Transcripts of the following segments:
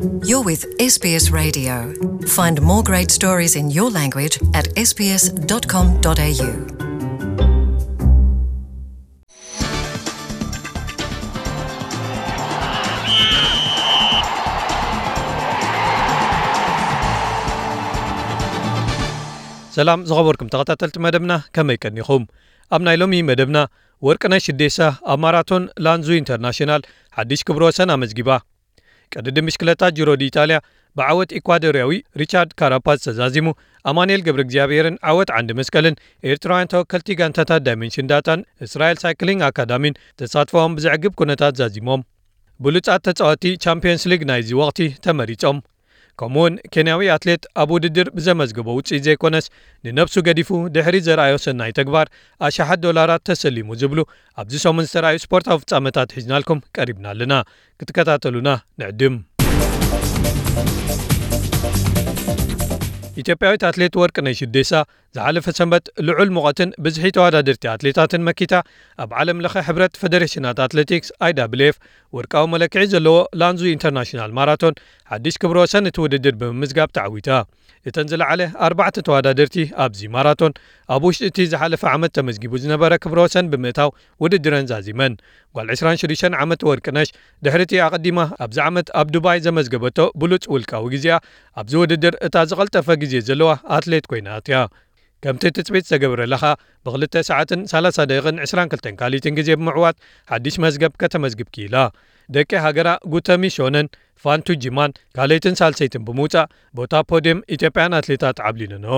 You're with S B S Radio. Find more great stories in your language at S B S dot com dot A U. ሰላም ዝኸበርኩም ተኸታተልቲ መደብና፣ ከመይ ቀኒኹም? ኣብ ናይ ሎሚ መደብና፣ ወርቅነሽ ሽዴሳ ኣብ ማራቶን ላንዙ ኢንተርናሽናል ሓድሽ ክብረ ወሰን ኣመዝጊባ። ቅድድም ብሽክለታ ጂሮ ዲ ኢጣልያ ብዓወት ኢኳዶርያዊ ሪቻርድ ካራፓዝ ተዛዚሙ። ኣማኑኤል ገብረ እግዚኣብሔርን ዓወት ዓንዲ መስቀልን ኤርትራውያን ተወከልቲ ጋንታታት ዳይመንሽን ዳታን እስራኤል ሳይክሊንግ ኣካዳሚን ተሳትፎኦም ብዘዕግብ ኩነታት ዛዚሞም። ብሉጻት ተጻወቲ ቻምፒየንስ ሊግ ናይዚ ወቕቲ ተመሪጾም። ከምኡውን ኬንያዊ ኣትሌት ኣብ ውድድር ብዘመዝገቦ ውጽኢት ዘይኮነስ ንነብሱ ገዲፉ ድሕሪ ዘርኣዮ ሰናይ ተግባር ኣሽሓት ዶላራት ተሰሊሙ ዝብሉ ኣብዚ ሰሙን ዝተራእዩ ስፖርታዊ ፍጻመታት ሒዝናልኩም ቀሪብና ኣለና። ክትከታተሉና ንዕድም። ኢትዮጵያዊት ኣትሌት ወርቅነሽ ሽዴሳ ዝሓለፈ ሰንበት ልዑል ሙቐትን ብዝሒ ተወዳደርቲ ኣትሌታትን መኪታ ኣብ ዓለም ለኸ ሕብረት ፈደሬሽናት ኣትሌቲክስ I W F ወርቃዊ መለክዒ ዘለዎ ላንዙ ኢንተርናሽናል ማራቶን ሓድሽ ክብረ ወሰን እቲ ውድድር ብምምዝጋብ ተዓዊታ። እተን ዝለዓለ ኣርባዕተ ተወዳደርቲ ኣብዚ ማራቶን ኣብ ውሽጢ እቲ ዝሓለፈ ዓመት ተመዝጊቡ ዝነበረ ክብረ ወሰን ብምእታው ውድድረን ዛዚመን። ጓል ዕስራን ሽዱሽተን ዓመት ወርቅነሽ ድሕሪ እቲ ኣቐዲማ ኣብዚ ዓመት ኣብ ዱባይ ዘመዝገበቶ ብሉጽ ውልቃዊ ግዜኣ ኣብዚ ውድድር እታ ዝቐልጠፈ ግዜ ዘለዋ ኣትሌት ኮይና ኣትያ። ከምቲ ትጽቢት ዝተገብረላ ኸኣ ብክልተ ሰዓትን ሰላሳ ደቂቕን ዕስራን ክልተን ካልኢትን ግዜ ብምዕዋት ሓድሽ መዝገብ ከተመዝግብ ክኢላ። ደቂ ሃገራ ጉተሚ ሾነን ፋንቱ ጂማን ካልኣይትን ሳልሰይትን ብምውጻእ ቦታ ፖድየም ኢትዮጵያን ኣትሌታት ዓብሊለንኦ።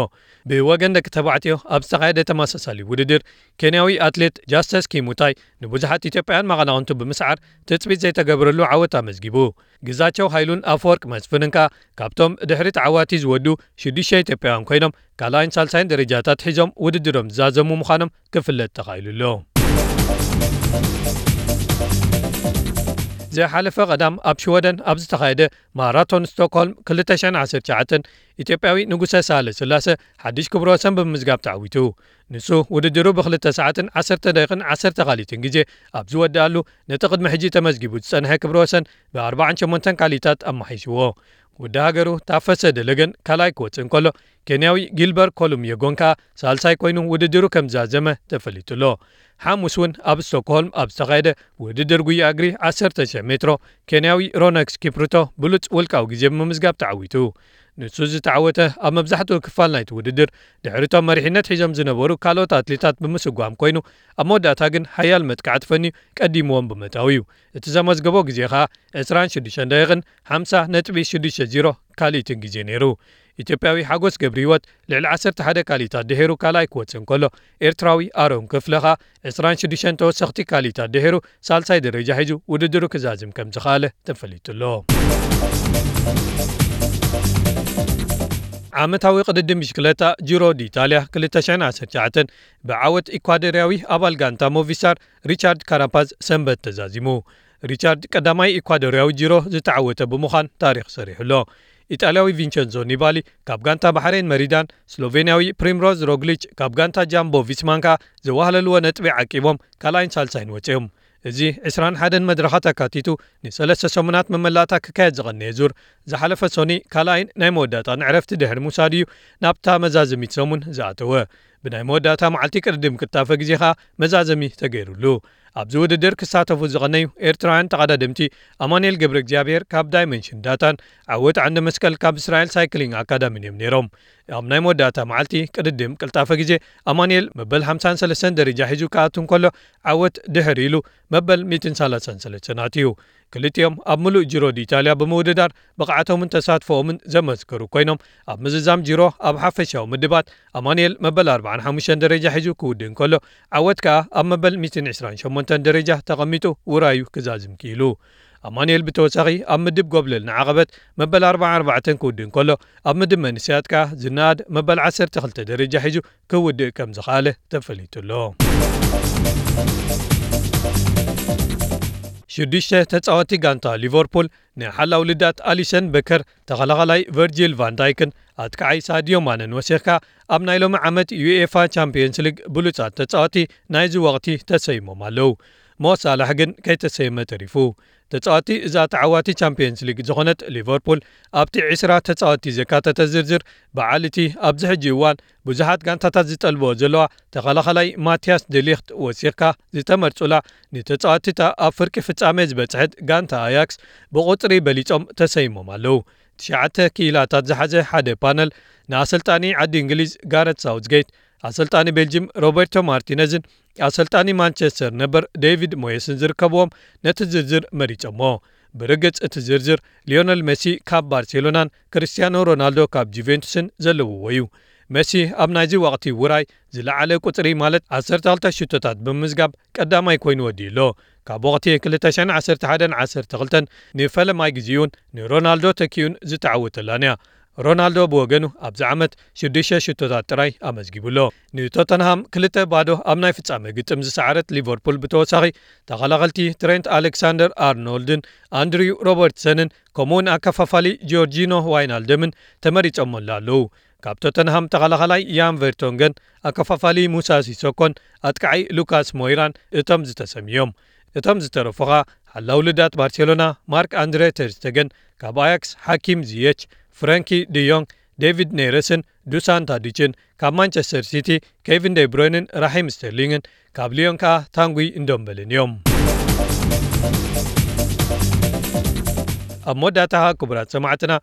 ብወገን ደቂ ተባዕትዮ ኣብ ዝተኻየደ ተመሳሳሊ ውድድር ኬንያዊ ኣትሌት ጃስተስ ኪሙታይ ንብዙሓት ኢትዮጵያን መቐናቕንቱ ብምስዓር ትጽቢት ዘይተገብረሉ ዓወት ኣመዝጊቡ። ግዛቸው ሃይሉን ኣፈወርቅ መስፍንን ከኣ ካብቶም ድሕሪ ተዓዋቲ ዝወዱ ሽዱሽተ ኢትዮጵያውያን ኮይኖም ካልኣይን ሳልሳይን ደረጃታት ሒዞም ውድድሮም ዝዛዘሙ ምዃኖም ክፍለጥ ተኻኢሉ ኣሎ። ዝሓለፈ ቀዳም ኣብ ሽወደን ኣብ ዝተኻየደ ማራቶን ስቶክሆልም ክልተ ሽሕን ዓሰርተ ትሽዓተን ኢትዮጵያዊ ንጉሰ ሳህለ ስላሰ ሓድሽ ክብረ ወሰን ብምምዝጋብ ተዓዊቱ። ንሱ ውድድሩ ብክልተ ሰዓትን ዓሰርተ ደቂቕን ዓሰርተ ካልኢትን ግዜ ኣብ ዝወድኣሉ ነቲ ቅድሚ ሕጂ ተመዝጊቡ ዝጸንሐ ክብረ ወሰን ብኣርባዓን ሸሞንተን ካልኢታት ኣመሓይሽዎ። ወዲ ሃገሩ ታፈሰ ደለገን ካልኣይ ክወጽእ እንከሎ፣ ኬንያዊ ጊልበር ኮሉም የጎን ከኣ ሳልሳይ ኮይኑ ውድድሩ ከም ዝዛዘመ ተፈሊጡ ኣሎ። ሓሙስ እውን ኣብ ስቶክሆልም ኣብ ዝተኻየደ ውድድር ጉያ እግሪ ዓሰርተ ሽሕ ሜትሮ፣ ኬንያዊ ሮነክስ ኪፕሩቶ ብሉጽ ውልቃዊ ግዜ ብምምዝጋብ ተዓዊቱ። ንሱ ዝተዓወተ ኣብ መብዛሕትኡ ክፋል ናይቲ ውድድር ድሕሪቶም መሪሕነት ሒዞም ዝነበሩ ካልኦት ኣትሌታት ብምስጓም ኮይኑ፣ ኣብ መወዳእታ ግን ሓያል መጥቃዕቲ ፈንዩ ቀዲምዎም ብምእታው እዩ። እቲ ዘመዝገቦ ግዜ ኸኣ ዕስራን ሽዱሽተን ደቂቕን ሓምሳ ነጥቢ ሽዱሽተ ዜሮ ካልኢትን ግዜ ነይሩ። ኢትዮጵያዊ ሓጎስ ገብረ ህይወት ልዕሊ ዓሰርተ ሓደ ካልኢታት ድሒሩ ካልኣይ ክወጽእ እንከሎ፣ ኤርትራዊ ኣሮን ክፍለ ኸኣ ዕስራን ሽዱሽተን ተወሰኽቲ ካልኢታት ድሒሩ ሳልሳይ ደረጃ ሒዙ ውድድሩ ክዛዝም ከም ዝኸኣለ ተፈሊጡ ኣሎ። ዓመታዊ ቅድድም ብሽክለታ ጂሮ ዲኢጣልያ ክልተ ሽሕን ዓሰርተ ትሽዓተን ብዓወት ኢኳዶርያዊ ኣባል ጋንታ ሞቪስታር ሪቻርድ ካራፓዝ ሰንበት ተዛዚሙ። ሪቻርድ ቀዳማይ ኢኳዶርያዊ ጂሮ ዝተዓወተ ብምዃን ታሪኽ ሰሪሑ ኣሎ። ኢጣልያዊ ቪንቸንዞ ኒባሊ ካብ ጋንታ ባሕሬን መሪዳን፣ ስሎቬንያዊ ፕሪምሮዝ ሮግሊች ካብ ጋንታ ጃምቦ ቪስማን ከኣ ዘዋህለልዎ ነጥቢ ዓቂቦም ካልኣይን ሳልሳይን ወጺኦም። እዚ ዕስራን ሓደን መድረኻት ኣካቲቱ ንሰለስተ ሰሙናት መመላእታ ክካየድ ዝቐነየ ዙር ዝሓለፈ ሶኒ ካልኣይን ናይ መወዳእታን ዕረፍቲ ድሕሪ ምውሳድ እዩ ናብታ መዛዘሚት ሰሙን ዝኣተወ። ብናይ መወዳእታ መዓልቲ ቅድድም ቅልጣፈ ግዜ ኸኣ መዛዘሚ ተገይሩሉ። ኣብዚ ውድድር ክሳተፉ ዝቐነዩ ኤርትራውያን ተቐዳደምቲ ኣማኑኤል ገብረ እግዚኣብሔር ካብ ዳይመንሽን ዳታን ዓወት ዓንደ መስቀል ካብ እስራኤል ሳይክሊንግ ኣካዳሚን እዮም ነይሮም። ኣብ ናይ መወዳእታ መዓልቲ ቅድድም ቅልጣፈ ግዜ ኣማኑኤል መበል ሓምሳን ሰለስተን ደረጃ ሒዙ ክኣቱ እንከሎ ዓወት ድሕር ኢሉ መበል ሚእትን ሰላሳን ሰለስተን ኣትዩ። ክልቲኦም ኣብ ምሉእ ጂሮ ዲኢጣልያ ብምውድዳር ብቕዓቶምን ተሳትፎኦምን ዘመስከሩ ኮይኖም ኣብ ምዝዛም ጂሮ ኣብ ሓፈሻዊ ምድባት ኣማኑኤል መበል ኣርባዓን ሓሙሽተን ደረጃ ሒዙ ክውድእ እንከሎ ዓወት ከኣ ኣብ መበል ሚእትን ዕስራን ሸሞንተን ደረጃ ተቐሚጡ ውራዩ ክዛዝም ክኢሉ። ኣማኑኤል ብተወሳኺ ኣብ ምድብ ጎብለል ንዓቐበት መበል ኣርባዓን ኣርባዕተን ክውድእ እንከሎ ኣብ ምድብ መንእሰያት ከኣ ዝነኣድ መበል ዓሰርተ ክልተ ደረጃ ሒዙ ክውድእ ከም ዝኸኣለ ተፈሊጡ ኣሎ። ሽዱሽተ ተጻወቲ ጋንታ ሊቨርፑል ንሓላው ልዳት ኣሊሰን በከር፣ ተኸላኻላይ ቨርጂል ቫን ዳይክን ኣጥቃዓይ ሳድዮ ማነን ወሲኽካ ኣብ ናይ ሎሚ ዓመት ዩኤፋ ቻምፒየንስ ሊግ ብሉጻት ተጻወቲ ናይዚ ወቕቲ ተሰይሞም ኣለዉ። ሞ ሳላሕ ግን ከይተሰየመ ተሪፉ። ተጻዋቲ እዛ ተዓዋቲ ቻምፒየንስ ሊግ ዝኾነት ሊቨርፑል ኣብቲ ዕስራ ተጻዋቲ ዘካተተ ዝርዝር በዓል እቲ ኣብዚ ሕጂ እዋን ብዙሓት ጋንታታት ዝጠልብኦ ዘለዋ ተኸላኸላይ ማቲያስ ደሊኽት ወሲኽካ ዝተመርጹላ ንተጻዋቲታ ኣብ ፍርቂ ፍጻሜ ዝበጽሐት ጋንታ ኣያክስ ብቑጽሪ በሊጾም ተሰይሞም ኣለዉ። ትሽዓተ ክኢላታት ዝሓዘ ሓደ ፓነል ንኣሰልጣኒ ዓዲ እንግሊዝ ጋረት ሳውዝጌት፣ ኣሰልጣኒ ቤልጅም ሮበርቶ ማርቲነዝን ኣሰልጣኒ ማንቸስተር ነበር ዴቪድ ሞየስን ዝርከብዎም ነቲ ዝርዝር መሪጾሞ። ብርግጽ እቲ ዝርዝር ሊዮነል ሜሲ ካብ ባርሴሎናን ክርስቲያኖ ሮናልዶ ካብ ጁቬንቱስን ዘለውዎ እዩ። ሜሲ ኣብ ናይዚ ወቕቲ ውራይ ዝለዓለ ቁጽሪ ማለት ዓሰርተ ክልተ ሽቶታት ብምምዝጋብ ቀዳማይ ኮይኑ ወዲኡ ኣሎ። ካብ ወቕቲ ክልተ ሽሕን ዓሰርተ ሓደን ዓሰርተ ክልተን ንፈለማይ ግዜኡን ንሮናልዶ ተኪኡን ዝተዓወተላን እያ። ሮናልዶ ብወገኑ ኣብዚ ዓመት ሽዱሽተ ሽቶታት ጥራይ ኣመዝጊቡ ኣሎ። ንቶተንሃም ክልተ ባዶ ኣብ ናይ ፍጻመ ግጥም ዝሰዓረት ሊቨርፑል ብተወሳኺ ተኸላኸልቲ ትሬንት ኣሌክሳንደር ኣርኖልድን ኣንድሪው ሮበርትሰንን ከምኡውን ኣከፋፋሊ ጆርጂኖ ዋይናልደምን ተመሪጾምላ ኣለዉ። ካብ ቶተንሃም ተኸላኸላይ ያን ቨርቶንገን ኣከፋፋሊ ሙሳ ሲሶኮን ኣጥቃዓይ ሉካስ ሞይራን እቶም ዝተሰምዮም። እቶም ዝተረፉኻ ሓላው ልዳት ባርሴሎና ማርክ ኣንድሬ ተርስተገን፣ ካብ ኣያክስ ሓኪም ዚየች፣ ፍረንኪ ድዮንግ፣ ዴቪድ ኔረስን ዱሳን ታዲችን፣ ካብ ማንቸስተር ሲቲ ኬቪን ዴብሮይንን ራሒም ስተርሊንግን፣ ካብ ሊዮን ከኣ ታንጉይ እንዶምበልን እዮም። ኣብ መወዳእታ ክቡራት ሰማዕትና፣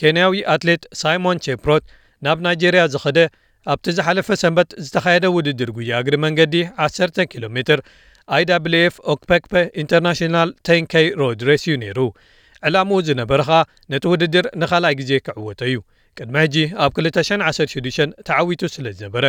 ኬንያዊ ኣትሌት ሳይሞን ቼፕሮት ናብ ናይጄርያ ዝኸደ ኣብቲ ዝሓለፈ ሰንበት ዝተኻየደ ውድድር ጉያ እግሪ መንገዲ ዓሰርተ ኪሎ ሜትር ኣይ ዳብሊው ኤፍ ኦክፐክፐ ኢንተርናሽናል ቴን ኬይ ሮድ ሬስ እዩ ነይሩ። ዕላምኡ ዝነበረ ኸኣ ነቲ ውድድር ንኻልኣይ ግዜ ክዕወቶ እዩ። ቅድሚ ሕጂ ኣብ ክልተ ሽሕን ዓሰርተ ሽዱሽተን ተዓዊቱ ስለ ዝነበረ።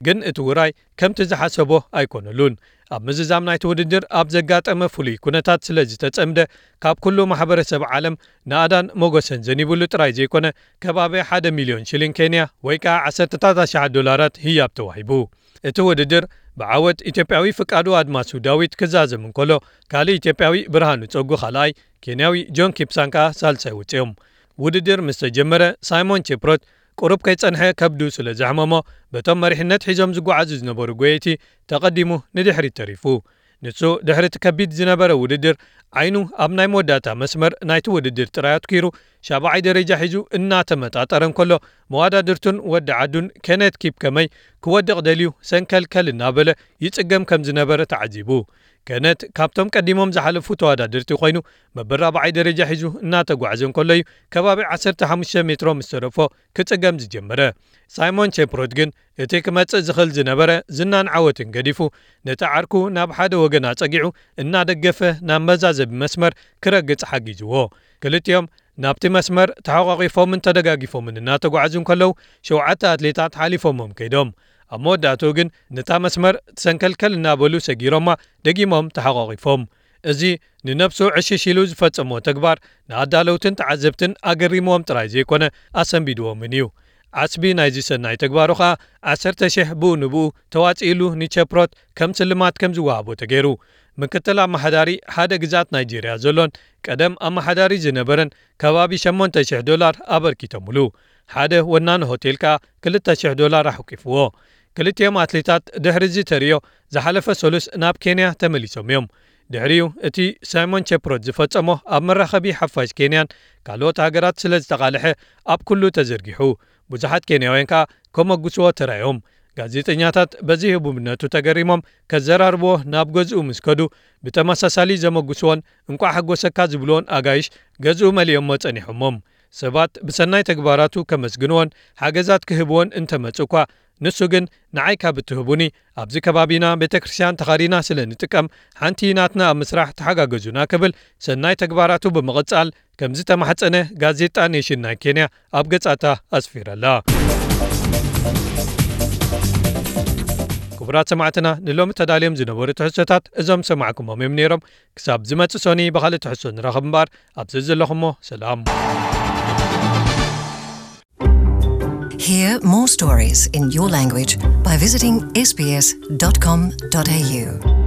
ግን እቲ ውራይ ከምቲ ዝሓሰቦ ኣይኮነሉን። ኣብ ምዝዛም ናይቲ ውድድር ኣብ ዘጋጠመ ፍሉይ ኩነታት ስለ ዝተጸምደ፣ ካብ ኩሉ ማሕበረሰብ ዓለም ናእዳን ሞገሰን ዘኒብሉ ጥራይ ዘይኮነ፣ ከባቢ ሓደ ሚልዮን ሽሊን ኬንያ ወይ ከኣ ዓሰርተታት ኣሽሓት ዶላራት ህያብ ተዋሂቡ። እቲ ውድድር ብዓወት ኢትዮጵያዊ ፍቃዱ ኣድማሱ ዳዊት ክዛዘም እንከሎ፣ ካልእ ኢትዮጵያዊ ብርሃኑ ጸጉ ካልኣይ፣ ኬንያዊ ጆን ኪፕሳን ከኣ ሳልሳይ ወጺኦም። ውድድር ምስ ተጀመረ፣ ሳይሞን ቼፕሮት ቁሩብ ከይጸንሐ ከብዱ ስለ ዘሕመሞ፣ በቶም መሪሕነት ሒዞም ዝጓዓዙ ዝነበሩ ጎየይቲ ተቐዲሙ ንድሕሪት ተሪፉ። ንሱ ድሕሪ እቲ ከቢድ ዝነበረ ውድድር ዓይኑ ኣብ ናይ መወዳእታ መስመር ናይቲ ውድድር ጥራይ ኣትኪሩ፣ ሻብዓይ ደረጃ ሒዙ እናተመጣጠረ እንከሎ፣ መዋዳድርቱን ወዲ ዓዱን ኬኔት ኪፕከመይ ክወድቕ ደልዩ ሰንከልከል እናበለ ይጽገም ከም ዝነበረ ተዓዚቡ። ኬኔት ካብቶም ቀዲሞም ዝሓለፉ ተወዳደርቲ ኮይኑ፣ መበል ራብዓይ ደረጃ ሒዙ እናተጓዕዘ እንከሎ እዩ ከባቢ ዓሰርተ ሓሙሽተ ሜትሮ ምስ ተረፎ ክጽገም ዝጀመረ። ሳይሞን ቼፕሮት ግን እቲ ክመጽእ ዝኽእል ዝነበረ ዝናን ዓወትን ገዲፉ፣ ነቲ ዓርኩ ናብ ሓደ ወገን ኣጸጊዑ እናደገፈ ናብ መዛዘቢ መስመር ክረግጽ ሓጊዝዎ። ክልቲኦም ናብቲ መስመር ተሓቋቒፎምን ተደጋጊፎምን እናተጓዕዙ እንከለዉ፣ ሸውዓተ ኣትሌታት ሓሊፎሞም ከይዶም። ኣብ መወዳእትኡ ግን ነታ መስመር ትሰንከልከል እናበሉ ሰጊሮማ፣ ደጊሞም ተሓቋቒፎም። እዚ ንነብሱ ዕሽሽ ኢሉ ዝፈጸሞ ተግባር ንኣዳለውትን ተዓዘብትን ኣገሪምዎም ጥራይ ዘይኮነ ኣሰንቢድዎምን እዩ። ዓስቢ ናይዚ ሰናይ ተግባሩ ኸኣ ዓሰርተ ሽሕ ብኡ ንብኡ ተዋጺእሉ ንቸፕሮት ከም ስልማት ከም ዝወሃቦ ተገይሩ። ምክትል ኣመሓዳሪ ሓደ ግዛት ናይጄርያ ዘሎን ቀደም ኣመሓዳሪ ዝነበረን ከባቢ ሸሞንተ ሽሕ ዶላር ኣበርኪቶምሉ። ሓደ ወናኒ ሆቴል ከኣ ክልተ ሽሕ ዶላር ኣሕቂፍዎ። ክልቲኦም ኣትሌታት ድሕሪ እዚ ተርእዮ ዝሓለፈ ሰሉስ ናብ ኬንያ ተመሊሶም እዮም። ድሕሪኡ እቲ ሳይሞን ቸፕሮት ዝፈጸሞ ኣብ መራኸቢ ሓፋሽ ኬንያን ካልኦት ሃገራት ስለ ዝተቓልሐ ኣብ ኩሉ ተዘርጊሑ። ብዙሓት ኬንያውያን ከኣ ከመጉስዎ ተራእዮም። ጋዜጠኛታት በዚ ህቡብነቱ ተገሪሞም ከዘራርብዎ ናብ ገዝኡ ምስ ከዱ ብተመሳሳሊ ዘመጉስዎን እንቋዕ ሓጎሰካ ዝብልዎን ኣጋይሽ ገዝኡ መሊኦሞ ጸኒሖሞም። ሰባት ብሰናይ ተግባራቱ ከመስግንዎን ሓገዛት ክህብዎን እንተመጹ እኳ፣ ንሱ ግን ንዓይ ካብ እትህቡኒ፣ ኣብዚ ከባቢና ቤተ ክርስቲያን ተኻሪና ስለ ንጥቀም፣ ሓንቲ ናትና ኣብ ምስራሕ ተሓጋገዙና ክብል ሰናይ ተግባራቱ ብምቕጻል ከም ዝተማሕጸነ ጋዜጣ ኔሽን ናይ ኬንያ ኣብ ገጻታ ኣስፊራላ። ክቡራት ሰማዕትና፣ ንሎሚ ተዳልዮም ዝነበሩ ትሕዝቶታት እዞም ሰማዕኩሞም እዮም ነይሮም። ክሳብ ዝመጽእ ሶኒ ብኻልእ ትሕዝቶ ንራኸብ እምበኣር፣ ኣብዚ ዘለኹሞ ሰላም። Hear more stories in your language by visiting S B S dot com dot A U.